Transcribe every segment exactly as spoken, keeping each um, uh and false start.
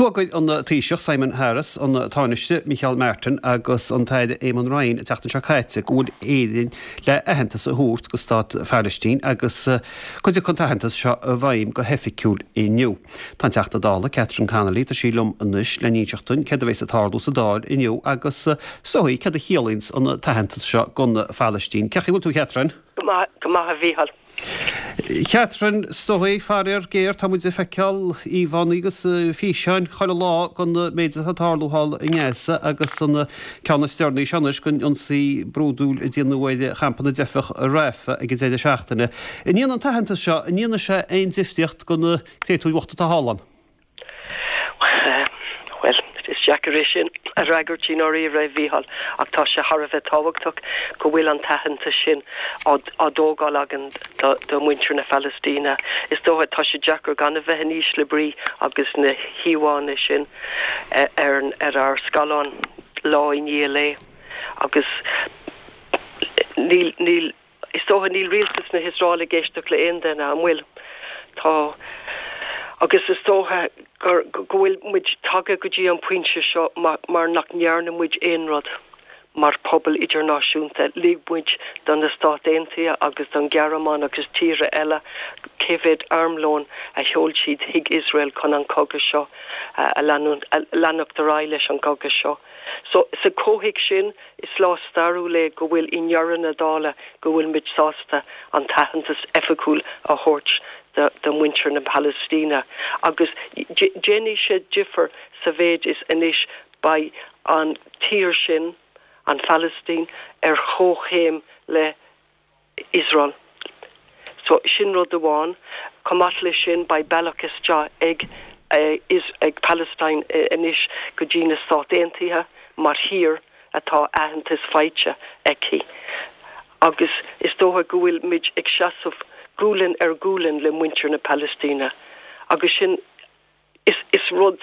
D'fhógair an Taoiseach Simon Harris, an Tánaiste Micheál Martin agus an tAire Eamon Ryan an tseachtain seo caite go bhfuil Éirinn le aitheantas a thabhairt go stát Phalaistín agus go dtiocfaidh an t-aitheantas seo i bhfeidhm go hoifigiúil inniu. Tá an Teachta Dála Catherine Connolly tá sí liom anois le n-inseacht dúinn céard a bheas ag tarlú sa Dáil inniu agus is dóigh céard a chiallaíonns an t-aitheantas seo don Phalaistín. Cén chaoi a bhfuil tú Catherine? Go maith a Mhícheáil. Catherine is dóigh faraor géar tá muid ag feiceáil íomhánna agus físeáin chuile lá den méid atá ag tarlú thall i nGaza agus an ceann is deireanaí seo anois den ionsaí brúidiúil a déanadh ar champa na dteifeach i Rafah ag an deireadh seachtaine. An ndéanann an t-aitheantas seo an ndéanfaidh sé aon difríocht do na créatúir bhochta atá thall ann. Well, is deacair é sin a fhreagairt i ndáiríre a Mhícheáil ach tá sé thar a bheith tábhachtach go bhfuil an t-aitheantas sin á dtógáil againn do mhuintir na Palaistíne. Is dócha tá sé deacair gan a bheith in ísle brí agus na híomhánna sin ar ar ár scáileán lá i ndiaidh lae agus níl níl is dócha níl rialtas na hIosrael ag éisteacht le aon duine an bhfuil tá agus is dócha gur go bhfuil muid tagtha go dtí an pointe seo mar nach ndearna muid aon rud mar pobal idirnáisiúnta lig muid don na Stáit Aontaithe agus don Ghearmáin agus tíortha eile cé mhéad armlón a sheol siad chuig Iosrael chun an cogadh seo a leanacht ar aghaidh leis an gcogadh seo. So sa chomhthéacs sin is lá stairiúil é go bhfuil i ndeireadh na dála go bhfuil muid sásta an t-aitheantas oifigiúil a thabhairt do mhuintir na Palaistíne agus déanfaidh sé difear sa mhéid is anois beidh an tír sin an Phalaistín ar chomhchéim le Iosrael. So sin rud amháin chomh maith leis sin beidh bealach isteach ag ag Palestine anois go dtí na Stáit Aontaithe mar thír atá aitheantas faighte aici. Agus is dócha go bhfuil muid ag seasamh gualainn ar ghualainn le muintir na Palaistíne agus sin is is rud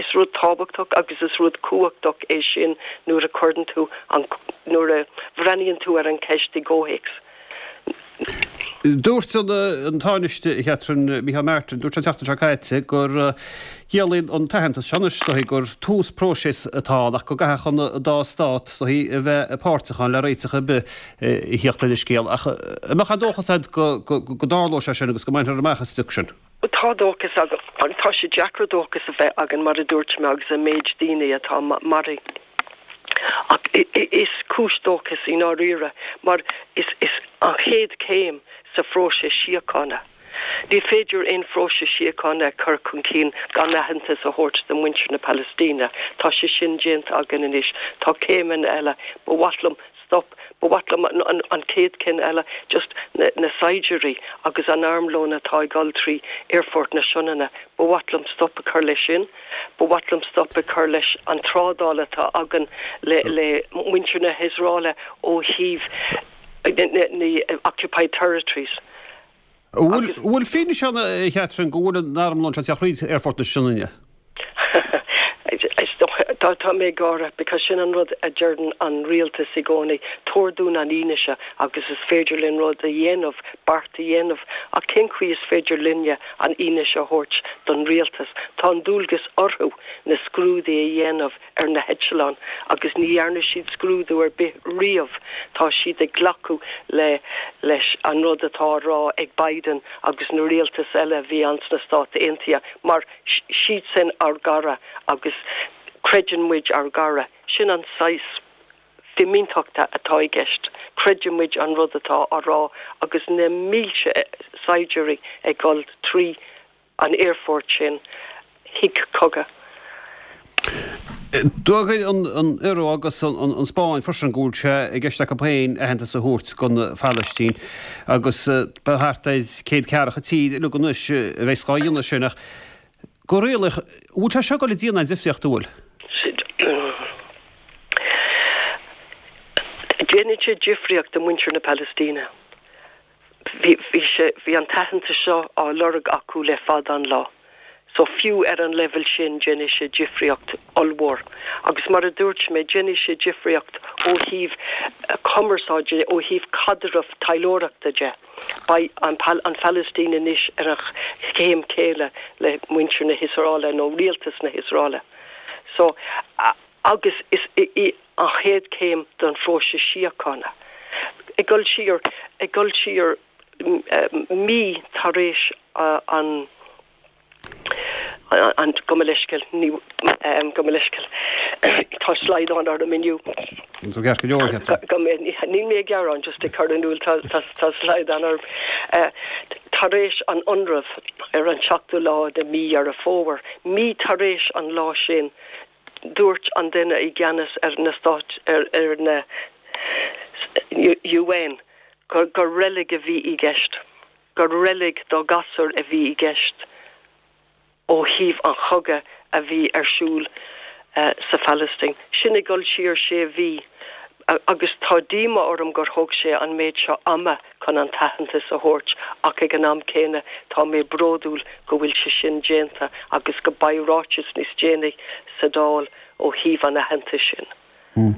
is rud tábhachtach agus is rud cumhachtach é sin nuair a chuireann tú an nuair a bhreathnaíonn tú ar an cheist i gcomhthéacs. Dúirt an Tánaiste Catherine Micheál Martin dúirt an tseachtain seo caite gur ciallaíonn an t-aitheantas seo anois gur tús próisis atá ach go gcaithfidh an dá stát a bheith páirteach ann le réiteach ar bith a theacht ar an scéal ach an mbeadh dóchas agat go go dtarlóidh sé sin agus go mbainfear amach an sprioc sin. Tá dóchas agam tá sé deacair dóchas a bheith againn mar a dúirt mé agus an méid daoine atá maraithe. Ach is cúis dóchas í ndáiríre mar is is an chéad céim sa phróiseas síochána. Ní féidir aon phróiseas síochána chur chun cinn gan aitheantas a thabhairt do mhuintir na Palaistíne. Tá sé sin déanta againn anois Tá céimeanna eile ba mhaith liom stop ba mhaith liom an, an, an chéad cinn eile just na, na saighdiúirí agus an armlón atá ag dul trí aerfort na Sionainne ba mhaith liom stop a chur leis sin ba mhaith liom stop a chur leis an trádáil atá againn le le muintir na hIosrael ó thaobh na occupied territories. Bhfuil fianaise ann Catherine go bhfuil an armlón seo ag teacht aerfort na Sionainne. Tá tá mé gáire because sin an rud a deireann an rialtas i gcónaí tabhair dúinn an fhianaise agus is féidir linn rud a dhéanamh beart a dhéanamh ach cén chaoi is féidir linne an fhianaise a thabhairt don rialtas Tá an dualgas orthu na scrúduithe a dhéanamh ar na heitleáin agus ní dhearna siad scrúdú ar bith riamh tá siad ag glacadh le leis an rud atá á rá ag Biden agus na rialtas eile bhí ann sna Stáit Aontaithe mar siad sin ár gcara agus creideann muid ár gcara sin an saghas fimíntachta atá i gceist creideann muid an rud atá á rá agus na mílte saighdiúirí ag dul trí an aerfort sin chuig cogadh. D'fhógair an an Iorua agus an an Spáinn freisin go bhfuil sé i gceist acu féin aitheantas a thabhairt don Phalaistín agus ba thart ar céad ceathracha tír uilig anois a bheas á dhéanamh sin ach go réalaíoch bhfuil sé seo ag dul a dhéanamh difríocht an bhfuil. Déanann sé difríocht do muintir na Palaistíne. Bhí sé bhí an t-aitheantas seo á lorg acu le fada an lá. So fiú ar an level sin déanfaidh sé difríocht ollmhór. Agus mar a dúirt mé déanfaidh sé difríocht ó thaobh cumarsáide ó thaobh caidreamh taidhleoireachta de. Beidh an, an Phalaistín anois ar an chéim chéanna le muintir na hIosraeile nó rialtas na hIosraeile. So agus is í an chéad chéim don phróiseas síochána. Ag dul siar ag dul siar mí tar éis an an gabh mo leithscéal ní gabh mo leithscéal tá slaghdán orm inniu. Níl mé ag gearán just ag cur in iúl tá slaghdán orm. Tar éis an ionradh ar an seachtú lá de mí Dheireadh Fómhair, mí tar éis an lá sin dúirt an duine i gceannas ar na stáit ar ar na UN gur gur reilig a bhí i gceist, gur reilig do ghasúir a bhí i gceist ó thaobh an chogadh a bhí ar siúl uh, sa Phalaistín. Sin ag dul siar sé mhí agus tá díomá orm gur thóg sé an méid seo ama chun an t-aitheantas a thabhairt ach ag an am céanna tá mé bródúil go bhfuil sé sin déanta agus go mbeidh ráiteas níos déanaí sa Dáil ó thaobh an aitheantais sin. Mm.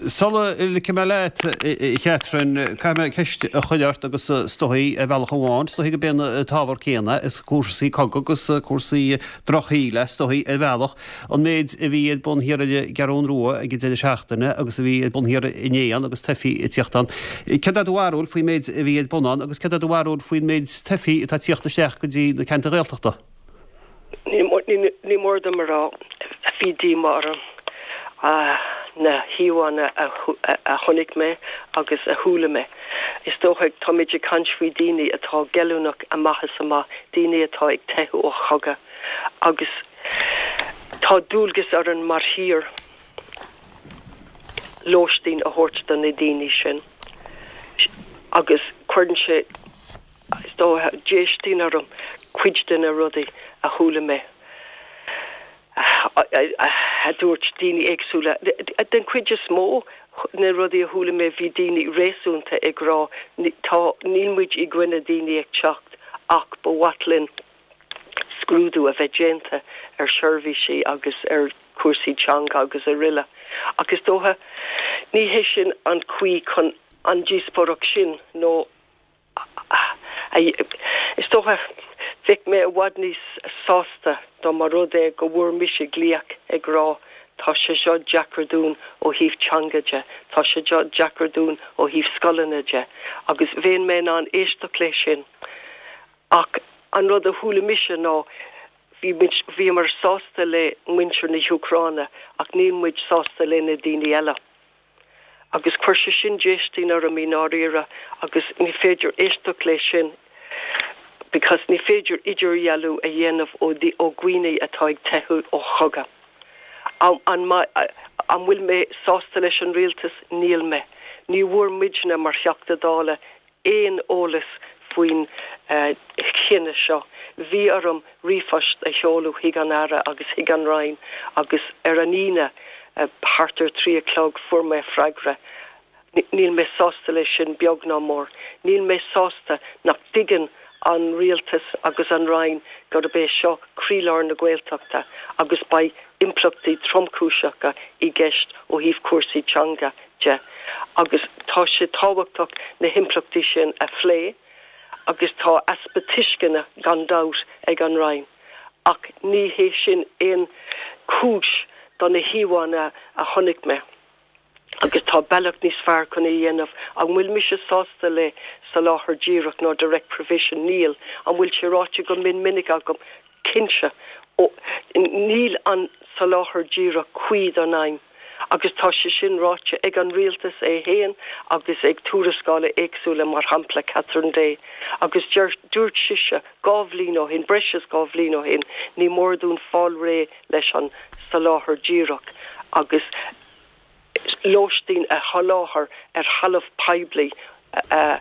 Sula ligfidh mé leat a Chatherine caithfidh mé ceist a chur ort agus is dóigh ar bhealach amháin, is dóigh gurb é an t-ábhar céanna is cúrsaí cogaidh agus cúrsaí drochshaoil is dóigh ar bhealach an méid a bhí ar bun thiar ar an gCeathrú Rua ag an deireadh seachtaine agus a bhí ar bun thiar inné agus teifigh ag tíocht ann. Céard é do bharúil faoin méid a bhí ar bun ann agus céard é do bharúil faoin méid teifigh atá ag tíocht isteach go dtí na ceantair Ghaeltachta? Ní mór dom a rá bhí díomá orm. na híomhánna a chonaic mé agus a chuala mé. Is dócha táimid ag caint faoi daoine atá goilliúnach amach is amach, daoine atá ag teitheadh ó chogadh agus tá dualgas orainn mar thír lóistín a thabhairt do na daoine sin. Agus cuireann sé is dócha déistín orm cuid de na rudaí a chuala mé. a dúirt daoine éagsúla. Den chuid is mó na rudaí a chuala mé bhí daoine réasúnta ag rá tá níl muid i gcoinne daoine ag teacht ach ba mhaith linn scrúdú a bheith déanta ar seirbhísí agus ar cúrsaí teanga agus araile. Ach is dócha ní hé sin an chaoi chun an díospóireacht sin nó is dócha bheadh mé i bhfad níos sásta dá mba rud é go bhfuair mise glaoch ag rá tá sé seo deacair dúinn ó thaobh teanga de, tá sé seo deacair dúinn ó thaobh scoileanna de, agus bheinn mé in ann éisteacht leis sin. Ach an rud a chuala mise ná bhíomar sásta le muintir na hÚcráine ach níl muid sásta le na daoine eile. Agus chuir sé sin déistín orm i ndáiríre agus ní féidir éisteacht leis sin because ní féidir idirdhealú a dhéanamh ó ó dhaoine atá ag teitheadh ó chogadh. An an bhfuil mé sásta leis an rialtas níl mé. Ní bhfuair muidne mar Theachta Dála aon eolas faoin uh, chinneadh seo. Bhí orm ríomhphost a sheoladh chuig an Aire agus chuig an Roinn agus ar an Aoine uh, thart ar trí a chlog fuair mé freagra. Níl mé sásta leis sin beag ná mór. Níl mé sásta nach dtuigeann an rialtas agus an Roinn gurb é seo croílár na Gaeltachta agus beidh impleachtaí tromchúiseacha i gceist ó thaobh cúrsaí teanga de. Agus tá sé tábhachtach na himpleachtaí sin a phlé, agus tá easpa tuisceana gan dabht ag an Roinn. Ach ní hé sin aon chúis do na híomhánna a chonaic mé. Agus tá bealach níos fearr chun é a dhéanamh an bhfuil mise sásta le soláthar díreach nó direct provision níl an bhfuil sé ráite go mion minic agam cinnte níl an soláthar díreach cuí don aidhm. Agus tá sé sin ráite ag an rialtas é féin agus ag tuarascálacha éagsúla mar shampla Catherine Day. Agus dúirt sise dhá bhliain ó shin breis is dhá bhliain ó shin ní mór dúinn fáil réidh leis an soláthar díreach agus lóistín a sholáthar ar thalamh poiblí uh,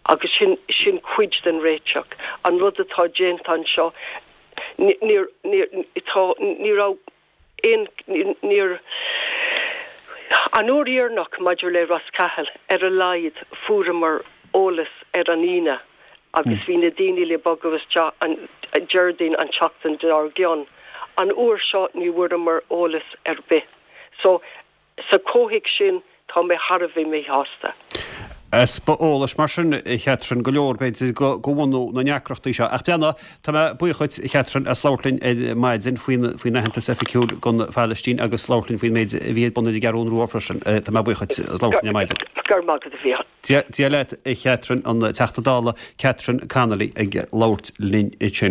agus sin sin cuid den réiteach. An rud atá déanta anseo níor ní raibh aon níor an uair dheireanach maidir le Ros Cathail ar a laghad fuaireamar eolas ar an Aoine agus bhí na daoine le bogadh isteach an Déardaoin an tseachtain dár gcionn. An uair seo ní bhfuaireamar eolas ar bith. So sa chomhthéacs sin tá mé thar a bheith míshásta. Easpa eolais mar sin a Chatherine go leor b'fhéidir go bhunú na ndeacrachtaí seo. Ach breathnaigh, tá mé buíoch dhuit a Chatherine as labhairt linn ar maidin faoin faoin aitheantas oifigiúil don Phalaistín agus labhairt linn faoin méid a bhí ar bun ar an gCeathrú Rua freisin. Tá mé buíoch dhuit as labhairt linn ar maidin. Go raibh maith agat a Mhícheáil. Dia leat a Chatherine, an Teachta Dála Catherine Connolly ag labhairt linn ansin.